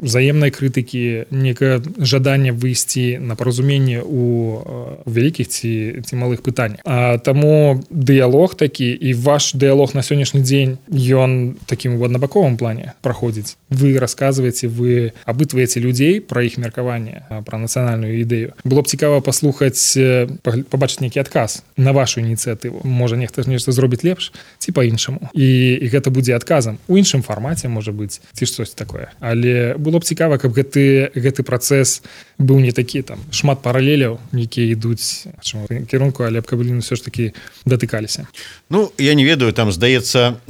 взаемнай крытыкі, некае жаданне выйсці на паразуменне ў вялікіх ці, ці малых пытаннях. А таму дыялог такі і ваш дыялог на сённяшні дзень, ён такім у аднабаковым плане праходзіць. Вы расказваеце, вы апытваеце людзей пра іх меркаванне, пра нацыянальную ідэю. Было б цікава паслухаць, пабачыць нейкі адказ на вашу ініцыятыву. Можа, нехта нешта зробіць лепш ці па-іншаму. І, і гэта будзе адказам. У іншым фармаце, можа быць, ці штось такое. Але было б цікава, каб гэты, гэты працэс быў не такі, там, шмат паралеляў, якія ідуць в кірунку, але б каб яны ўсё ж такі датыкаліся.
Ну, я не ведаю, там, здаецца,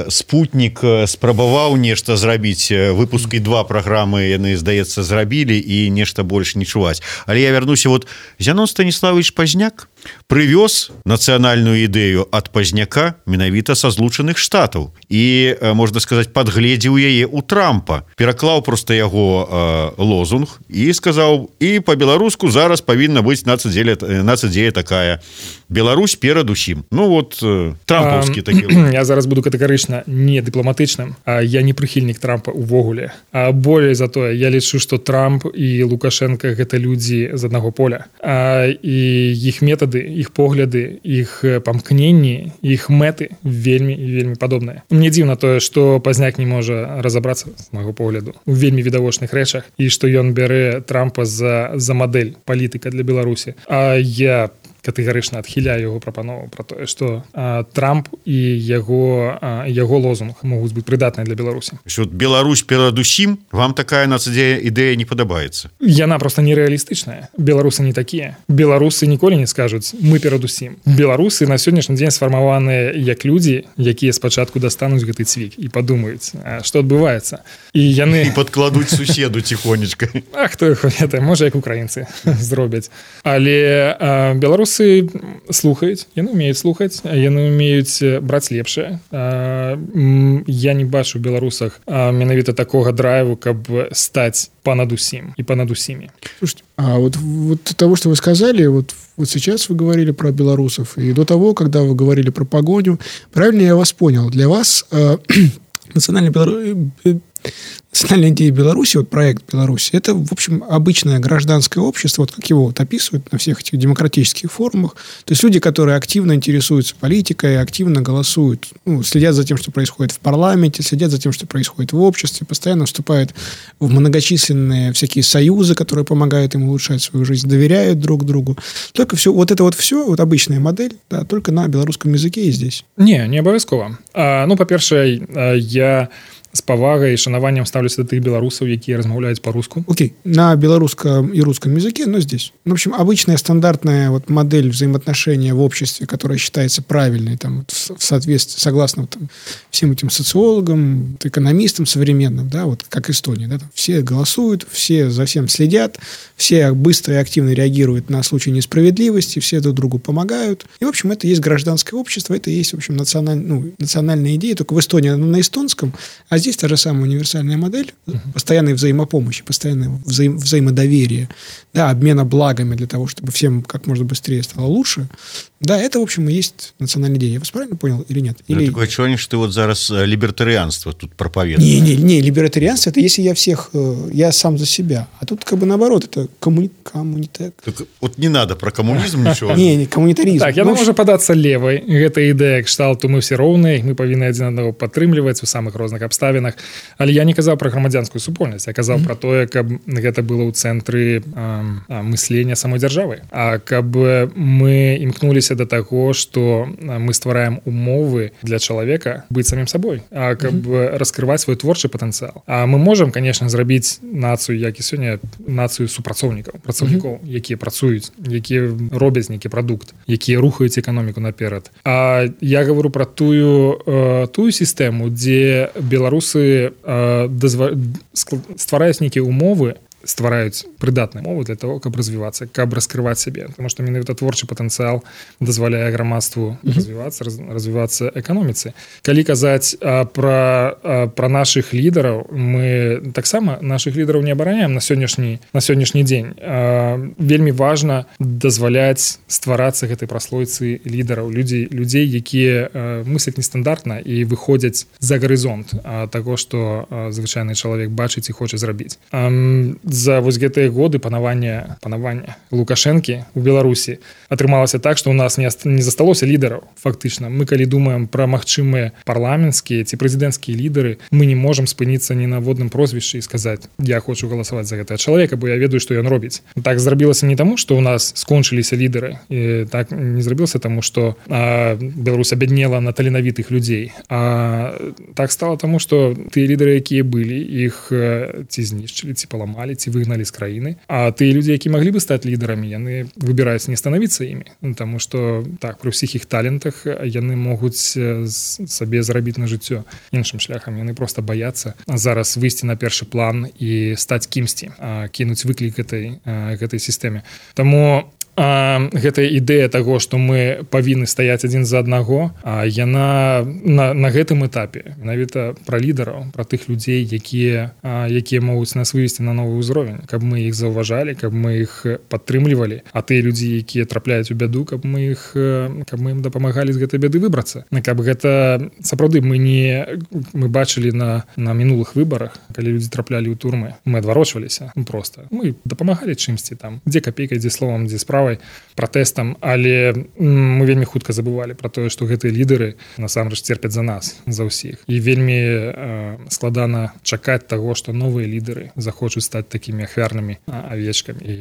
спутнік спрабаваў нешта зрабіць, выпускі два праграмы яны, здаецца, зрабілі і нешта больш не чуваць. Але я вярнуся, вот, Зянон Станіславович Пазняк прывёз нацыянальную ідэю ад Пазняка менавіта са Злучаных Штатаў і, можна сказаць, падгледзеў яе ў Трампа, пераклаў проста яго э, лозунг і сказаў, і па-беларуску зараз павінна быць нацыдзея такая. Беларусь перадусім. Ну вот, э, трампаўскі такі.
Я зараз буду катэгарычна не дыпламатычным, а я не прыхільнік Трампа увогуле. А болей за тое, я лічу, што Трамп і Лукашенко гэта людзі з аднаго поля. А, і іх метады, іх погляды, іх памкненні, іх мэты вельмі і вельмі падобныя. Мне дзіўна тое, што Пазняк не можа разабрацца, з майго погляду, у вельмі відавочных рэчах, і што ён бярэ Трампа за, за мадэль палітыка для Беларусі. А я катэгарычна адхіляю яго прапанову пра тое, што а, Трамп і яго, а, яго лозунг могуць быць прыдатныя для Беларусі.
Що Беларусь перадусім, вам такая нацыдзея ідэя не падабаецца?
Яна проста нерэалістычная. Беларусы не такія. Беларусы ніколі не скажуць, мы перадусім. Беларусы на сённяшні дзень сфармаваныя як людзі, якія спачатку дастануць гэты цвік і падумаюць, што адбываецца. І яны...
І падкладуць суседу ціхонечка.
А хто іх ведае, можа, як украінцы зробяць. Але а, беларусы слухаюць, яны умеюць слухаць, яны умеюць браць лепшае. Я не бачу ў беларусах менавіта такога драйву, каб стаць понад усім и понад усими.
Слушайте, а вот, вот того, что вы сказали, вот, вот сейчас вы говорили про белорусов, и до того, когда вы говорили про погоню, правильно я вас понял, для вас э, национальный Беларусь... Национальная идея Беларуси, вот проект Беларуси, это, в общем, обычное гражданское общество, вот как его вот описывают на всех этих демократических форумах. То есть люди, которые активно интересуются политикой, активно голосуют, ну, следят за тем, что происходит в парламенте, следят за тем, что происходит в обществе, постоянно вступают в многочисленные всякие союзы, которые помогают им улучшать свою жизнь, доверяют друг другу. Только все, вот это вот все, вот обычная модель, да, только на белорусском языке и здесь.
Не, не обовязково. А, ну, по-перше, я... з павагай і шанаваннем ставлюся да тых беларусаў, якія размаўляюць по-руску.
Окей, на белорусском и русском языке, но здесь. В общем, обычная стандартная вот модель взаимоотношения в обществе, которая считается правильной, там, в соответствии, согласно там, всем этим социологам, экономистам современным, да, вот как Эстония, да, там, все голосуют, все за всем следят, все быстро и активно реагируют на случаи несправедливости, все друг другу помогают. И, в общем, это есть гражданское общество, это есть, в общем, националь... ну, национальная идея, только в Эстонии она на эстонском, а здесь та же самая универсальная модель постоянной взаимопомощи, постоянного взаим... взаимодоверия, да, обмена благами для того, чтобы всем как можно быстрее стало лучше. Да, это, в общем, и есть национальная идея. Я вас правильно понял или нет? Или...
Такое ощущение, что ты вот зараз либертарианство тут проповедуешь.
Не, не, не, либертарианство — это если я всех, я сам за себя. А тут как бы наоборот, это коммуни... коммунитет.
Так, вот не надо про коммунизм ничего.
Не, не, коммунитаризм.
Так, яна можа падацца левай. Гэта ідэя кшталту мы все роўныя, мы павінны адзін аднаго падтрымліваць у самых розных абставінах. Але я не казаў пра грамадзянскую супольнасць, я казаў пра тое, каб гэта было ў цэнтры мыслення самой дзяржавы. А каб мы імкнуліся до таго, што мы ствараем умовы для чалавека быць самім сабой, а каб раскрываць свой творчы патэнцыял. А мы можам, конечно, зрабіць нацыю, як і сёння, нацыю супрацоўнікаў, працаўнікоў, якія працуюць, якія робяць нейкі прадукт, якія рухаюць эканоміку наперад. А я говорю про тую, тую сістэму, дзе беларусы дазва... ствараюць нейкія умовы, ствараюць прыдатныя умовы для того, каб развівацца, каб раскрываць сябе. Потому што менавіта творчы патэнцыял дазваляе грамадству mm-hmm. развівацца, раз, развівацца эканоміцы. Калі казаць а, пра, а, пра нашых лідараў, мы таксама нашых лідараў не абараняем на сённяшні, на сённяшні дзень. А, вельмі важна дазваляць стварацца гэтай праслойцы лідараў, людзей, людзей, якія а, мысляць нестандартна і выходзяць за гарызонт а, таго, што а, звычайны чалавек бачыць і хоча зрабіць. А, за вось гэтыя годы панавання панавання Лукашэнкі у Беларусі атрымалася так, што ў нас не, не засталося лідараў. Фактычна, мы калі думаем пра магчымыя парламенцкія ці прэзідэнцкія лідары, мы не можам спыніцца ні на водным прозвішчы і сказаць: я хочу галасаваць за гэтага чалавека, бо я ведаю, што ён робіць. Так зрабілася не таму, што ў нас скончыліся лідары, і так не зрабілася таму, што а, Беларусь абяднела на таленавітых людзей, а так стала таму, што тыя лідары, якія былі, іх ці знішчылі, ці паламалі, ці выгналі з краіны. А тыя людзі, які маглі бы стаць лідарамі, яны выбіраюць не станавіцца імі, таму што так, пры ўсіх іх талентах яны могуць сабе зарабіць на жыццё іншым шляхам. Яны проста баяцца зараз выйсці на першы план і стаць кімсьці, кінуць выклік гэтай, гэтай сістэме. Таму А, гэтая ідэя таго, што мы павінны стаяць адзін за аднаго, а яна на, на гэтым этапе менавіта пра лідараў, пра тых людзей, якія, а, якія могуць нас вывесці на новы ўзровень, каб мы іх заўважалі, каб мы іх падтрымлівалі, а тыя людзі, якія трапляюць у бяду, каб мы іх каб мы ім дапамагалі з гэтай бяды выбрацца. Каб гэта сапраўды мы не мы бачылі на, на мінулых выбарах, калі людзі траплялі ў турмы, мы адварочваліся проста. Мы дапамагалі чымсьці там, дзе капейка, дзе словам, дзе справа, пратэстам, але мы вельмі хутка забывалі пра тое, што гэтыя лідары насамрэч церпяць за нас, за ўсіх. І вельмі э, складана чакаць таго, што новыя лідары захочуць стаць такімі ахвярнымі авечкамі і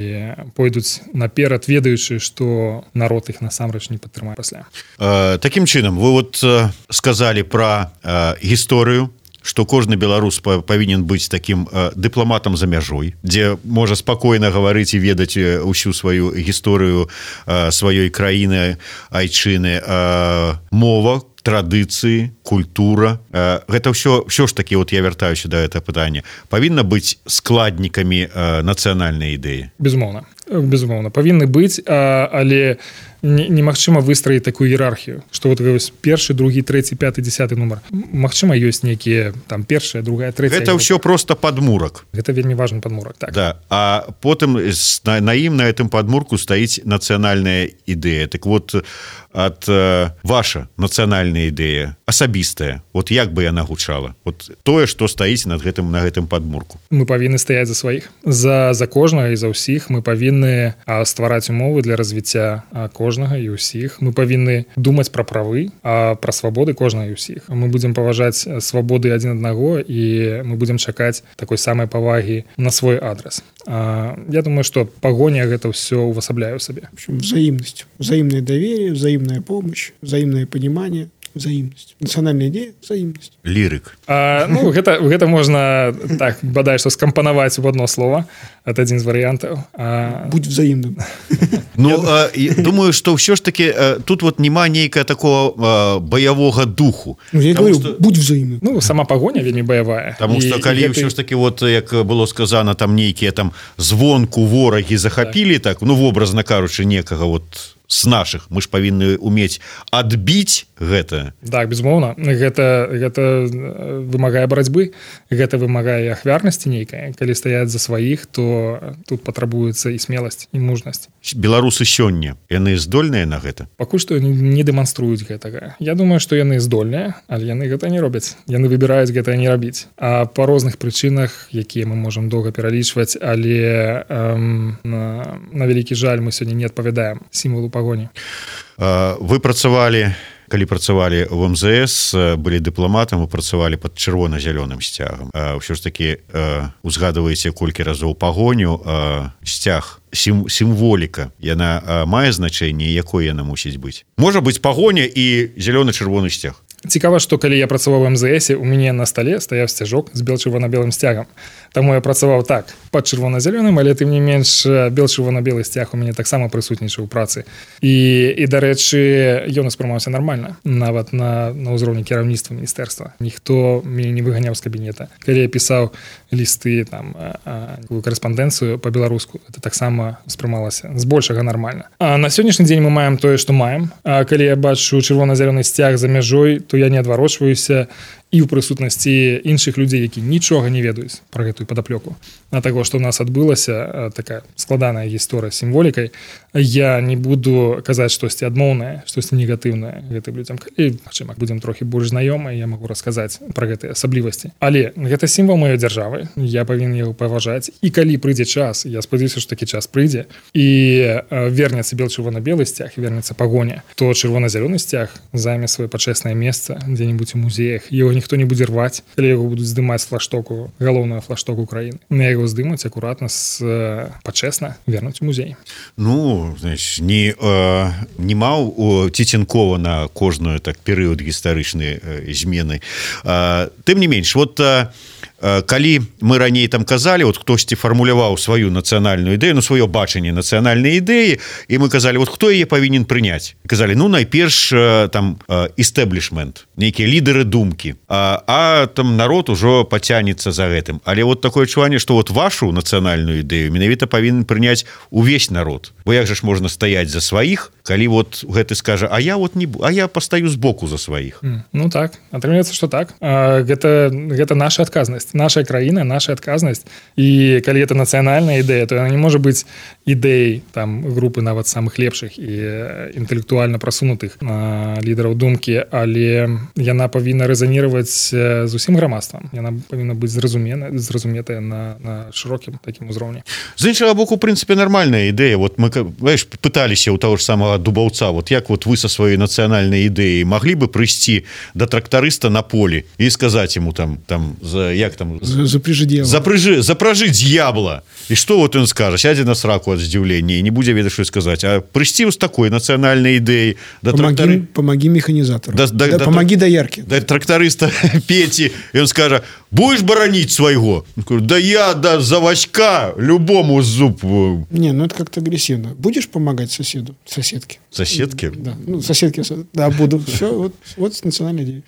пойдуць наперад, ведаючы, што народ іх насамрэч не падтрымае пасля.
Э, такім чынам, вы вот э, сказалі пра э, гісторыю, што кожны беларус павінен быць такім э, дыпламатам за мяжой, дзе можа спакойна гаварыць і ведаць усю сваю гісторыю э, сваёй краіны, айчыны, э, мова, традыцыі, культура. Э, гэта ўсё, ўсё ж такі, вот я вяртаюся да гэтага пытання, павінна быць складнікамі э, нацыянальнай ідэі.
Безумоўна. Безумоўна, павінны быць, а, але немагчыма выстраіць такую іерархію, што вот вось першы, другі, трэці, пяты, дзясяты нумар. Магчыма, ёсць нейкія там першая, другая, трэцяя.
Гэта ўсё просто падмурак.
Гэта вельмі важны падмурак, так.
Да. А потым на, на ім, на гэтым падмурку стаіць нацыянальная ідэя. Так вот, ад э, ваша нацыянальная ідэя, асабістая, вот як бы яна гучала? Вот тое, што стаіць над гэтым, на гэтым падмурку.
Мы павінны стаяць за сваіх. За, за кожнага і за ўсіх мы павінны ствараць умовы для развіцця кожнага і ўсіх. Мы павінны думаць пра правы, а пра свабоды кожнага і ўсіх. Мы будзем паважаць свабоды адзін аднаго і мы будзем чакаць такой самай павагі на свой адрас. А, я думаю, што пагоня гэта ўсё увасабляе ў сабе.
В общем, взаимность. Взаимное доверие, взаимная помощь, взаимное понимание. Взаимность. Национальная идея – взаимность.
Лирик.
А, ну, гэта, гэта можна так, бадай, што скампанаваць в одно слово. Это адзін з варыянтаў. А...
Будь взаимным.
Ну, а, думаю, што ўсё ж таки тут вот няма нейкая такого а, баявога духу.
Ну, я
Потому
говорю,
что...
будь взаимным.
Ну, сама пагоня вельмі баявая.
Таму што калі
гэты...
ўсё ж таки, вот, як было сказано, там нейкія там звонку ворагі захапілі, так. так, ну, вобразна кажучы, некага вот з наших, мы ж павінны умець адбіць гэта.
Так, безумоўна, гэта, гэта вымагае барацьбы, гэта вымагае ахвярнасці нейкай. Калі стаяць за сваіх, то тут патрабуецца і смеласць, і мужнасць.
Беларусы сёння, яны здольныя на гэта?
Пакуль што не дэманструюць гэтага. Я думаю, што яны здольныя, але яны гэта не робяць. Яны выбіраюць гэта не рабіць. А па розных прычынах, якія мы можам доўга пералічваць, але эм, на, на вялікі жаль мы сёння не адпавядаем сімвалу пагоні.
Вы працавалі, калі працавалі в эм зэ эс, былі дыпламатам, вы працавалі пад чырвона-зялёным сцягам. Ўсё ж такі узгадваеце колькі разоў пагоню, сцяг, сім, сімволіка, яна мае значэнне, якое яна мусіць быць? Можа быць пагоня і зялёна-чырвоны сцяг.
Цікава, што калі я працаваў в эм зэ эсе, у мяне на стале стаяў сцяжок з бел-чырвона-белым сцягам. Таму я працаваў так, пад чырвона-зялёным, але тым не менш бел-чырвона-белы сцяг у мяне таксама прысутнічаў у працы. І, і дарэчы, ён успрымаўся нармальна, нават на, на ўзроўні кіраўніцтва міністэрства. Ніхто мяне не выганяў з кабінета. Калі я пісаў лісты, там, корэспандэнцыю па-беларуску, это таксама успрымалася збольшага нармальна. А на сённяшні дзень мы маем тое, што маем. А калі я бачу чырвона-зялёны сцяг за мяжой, то я не адварочваюся і ў прысутнасці іншых людзей, які нічога не ведаюць пра гэтую падаплёку. А таго, што ў нас адбылася такая складаная гісторыя з сімволікай, я не буду казаць штосьці адмоўнае, штосьці негатыўнае гэтым людзям. Калі, магчыма, будзем трохі больш знаёмыя, я магу расказаць пра гэтыя асаблівасці. Але гэта сімвал маёй дзяржавы, я павінен яго паважаць. І калі прыйдзе час, я спадзяюся, што такі час прыйдзе, і вернецца бел-чырвона-белы сцяг, і вернецца пагоня, то чырвона-зялёны сцяг займе сваё пачэснае месца дзе-небудзь у музеях. Яго ніхто не будзе рваць, калі яго будуць здымаць з флаштоку, галоўную флаштоку краіны. На яго здымуць акуратна, з, пачэсна вернуць у музей.
Ну, знаеш, не, э, не маў Тіценкова на кожную так перыяд гістарычнай э, змены. Э, тым не менш, вот э, калі мы раней там казалі, вот хтосьці фармуляваў сваю нацыянальную ідэю, ну, сваё бачанне нацыянальнай ідэі, і мы казалі, вот хто яе павінен прыняць? Казалі, ну, найперш там эстеблішмент, нейкія лідары думкі, а, а там народ ужо пацянецца за гэтым. Але вот такое адчуванне, што вот вашу нацыянальную ідэю менавіта павінен прыняць увесь народ. Бо як жа ж можна стаяць за сваіх, калі вот гэты скажа, а я вот не, а я пастаю збоку за сваіх.
Mm, ну так, атрымліваецца, што так. А, гэта, гэта наша адказнасць. Наша краіна, наша адказнасць. І калі это нацыянальная ідэя, то яна не можа быць ідэяй там групы нават самых лепшых і інтэлектуальна прасунутых а, лідараў думкі, але яна павінна рэзанироваць з усім грамадствам. Яна павінна быць зразумена, зразуметая на, на шырокім такім узроўні.
З іншага боку, у прынцыпе, нармальная ідэя. Вот мы, знаешь, пыталіся у таго ж самого Дубаўца, вот як вот вы со сваёй нацыянальнай ідэяй маглі бы прыйсці да трактарыста на полі і сказаць ему там, там за, як там,
запряжи дьявола.
Запряжи, запряжи дьявола. И что вот он скажет? Сядет на сраку от здзіўлення и не будзе ведаць, что сказать. А прыйсці с такой национальной идеей. Да
помоги,
трактори...
помоги механизатору.
Да, да,
да,
да,
помоги да, доярке.
Да тракториста Пети. И он скажет, будешь боронить своего? Да я да, за Васька любому зуб.
Не, ну это как-то агрессивно. Будешь помогать соседу, соседке?
Соседке?
Да, ну соседке, да, буду. Все, вот, вот национальная идея.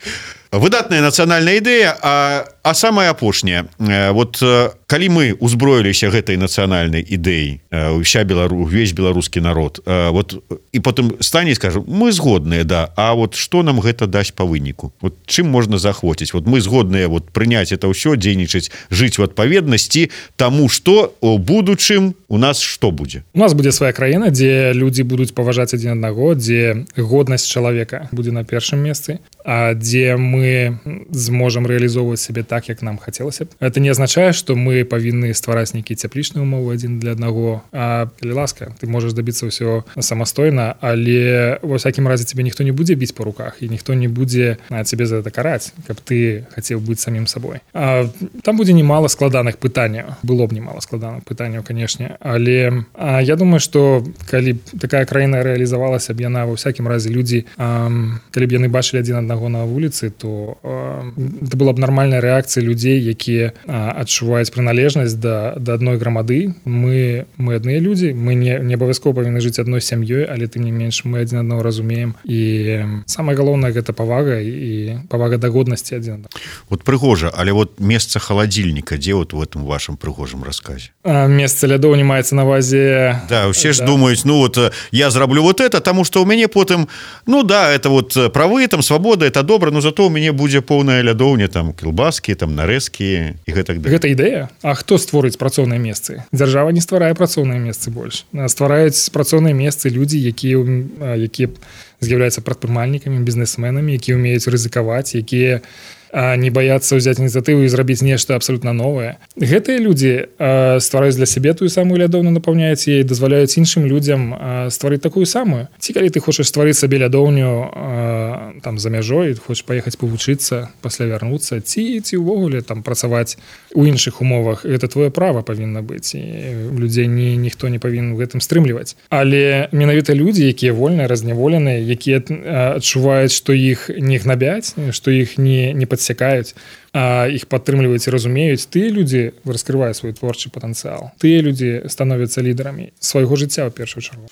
Выдатная нацыянальная ідэя, а, а самая апошняя. Вот калі мы узброіліся гэтай нацыянальнай ідэі, ўся Белару, увесь беларускі народ, вот, і потым стане і скажу, мы згодныя, да, а вот што нам гэта дасць па выніку? Вот чым можна захвоціць? Вот мы згодныя вот, прыняць это ўсё, дзейнічаць, жыць у адпаведнасці таму, што у будучым у нас што будзе?
У нас будзе свая краіна, дзе людзі будуць паважаць адзін аднаго, дзе годнасць чалавека будзе на першым месцы, а дзе мы зможам рэалізоўваць сябе так, як нам хацелася б. Это не азначае, што мы павінны ствараць нейкія цяплічныя умовы адзін для аднаго. А, калі ласка, ты можаш дабіцца ўсё самастойна, але ва всякім разе цябе ніхто не будзе біць па руках, і ніхто не будзе цябе за гэта караць, каб ты хацеў быць самім сабой. А, там будзе немало складаных пытанняў. Было б немало складаных пытанняў, канешне, але а, я думаю, што калі такая краіна рэалізавалася здавалася б, яна ва ўсякім разе людзі, калі б яны бачылі адзін аднаго на вуліцы, то это была б нармальная рэакцыя людзей, якія адчуваюць прыналежнасць да, да адной грамады. Мы, мы адныя людзі, мы не, не абавязкова павінны жыць адной сям'ёй, але тым не менш мы адзін аднаго разумеем. І самае галоўнае гэта павага і павага да годнасці адзін аднаго.
Вот прыгожа, але вот месца халадзільніка, дзе вот в этом вашым прыгожым расказе?
А, месца лядоў не маецца на увазе.
Да, усе ж
да.
думаюць, ну вот я зраблю вот это, таму што ў мяне потым, ну да, это вот правы, там свабода, это добра, но зато ў мяне будзе поўная лядоўня, там кілбаскі, там нарэзкі і гэтак далей.
Гэта ідэя. А хто створыць працоўныя месцы? Дзяржава не стварае працоўныя месцы больш. Ствараюць працоўныя месцы людзі, якія якія з'яўляюцца прадпрымальнікамі, бізнесменамі, якія ўмеюць рызыкаваць, якія не баяцца ўзяць ініцыятыву і зрабіць нешта абсалютна новае. Гэтыя людзі ствараюць для сябе тую самую лядоўню, напаўняюць яе, дазваляюць іншым людзям стварыць такую самую. Ці калі ты хочаш стварыць сабе лядоўню там за мяжой, хочаш паехаць павучыцца, пасля вярнуцца, ці ці ўвогуле там працаваць у іншых умовах, гэта твоё права павінна быць. І людзей ні, ніхто не павінен у гэтым стрымліваць. Але менавіта людзі, якія вольныя, разняволеныя, якія адчуваюць, што іх не гнабяць, што іх не, не падсякаюць, а іх падтрымліваюць і разумеюць, тыя людзі раскрываюць свой творчы патэнцыял. Тыя людзі становяцца лідарамі свайго жыцця ў першую чаргу.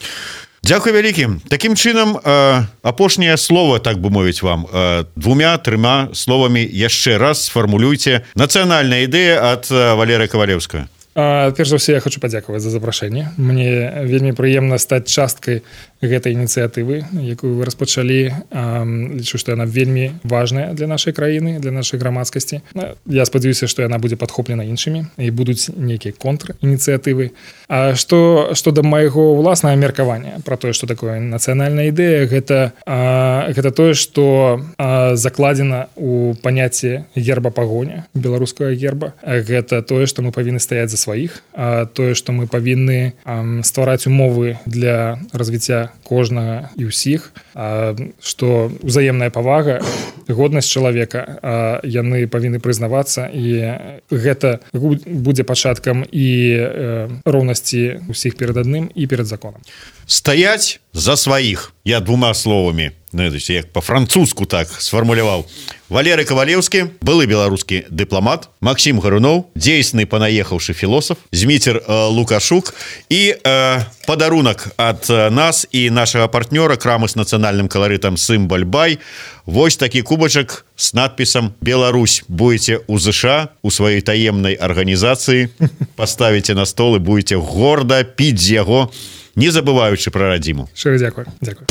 Дзякуй вялікі. Такім чынам, э, апошняе слово, так бы мовіць вам, э, двумя, трыма словамі яшчэ раз сфармулюйце нацыянальная ідэя ад Валерыя Кавалеўскага.
А, перш за ўсё, я хочу падзякаваць за запрашэнне. Мне вельмі прыемна стаць часткай гэтай ініцыятывы, якую вы распачалі. А, лічу, што яна вельмі важная для нашай краіны, для нашай грамадскасці. Я спадзяюся, што яна будзе падхоплена іншымі і будуць нейкія контр-ініцыятывы. А што, што да майго ўласнага меркавання пра тое, што такое нацыянальная ідэя, гэта, а, гэта тое, што а, закладзена ў паняцці герба-пагоня, беларускага герба. Гэта тое, што мы павінны стаяць за сваіх, а тое, што мы павінны а, ствараць умовы для развіцця кожнага і ўсіх, а, што ўзаемная павага, годнасць чалавека, а, яны павінны прызнавацца, і гэта будзе пачаткам і э, роўнасці ўсіх перад адным і перад законам.
Стаяць за сваіх. Я двума словамі, ну, як па-французску так сфармуляваў. Валерый Кавалеўскі, былы беларускі дыпламат, Максім Гаруноў, дзейсны панаехаўшы філосаф, Зміцер э, Лукашук і э, падарунак ад э, нас і нашага партнёра, крамы з нацыянальным каларытам Сымбаль-Бай. Вось такі кубачак з надпісам «Беларусь». Будете ў ЗША, у сваёй таемнай арганізацыі, паставіце на стол і будете горда піць з яго, не забываючы пра радзіму.
Шчыра дзякуй. Дзякуй.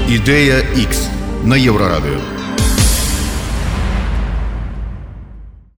Ідэя X на Еўрарадыё.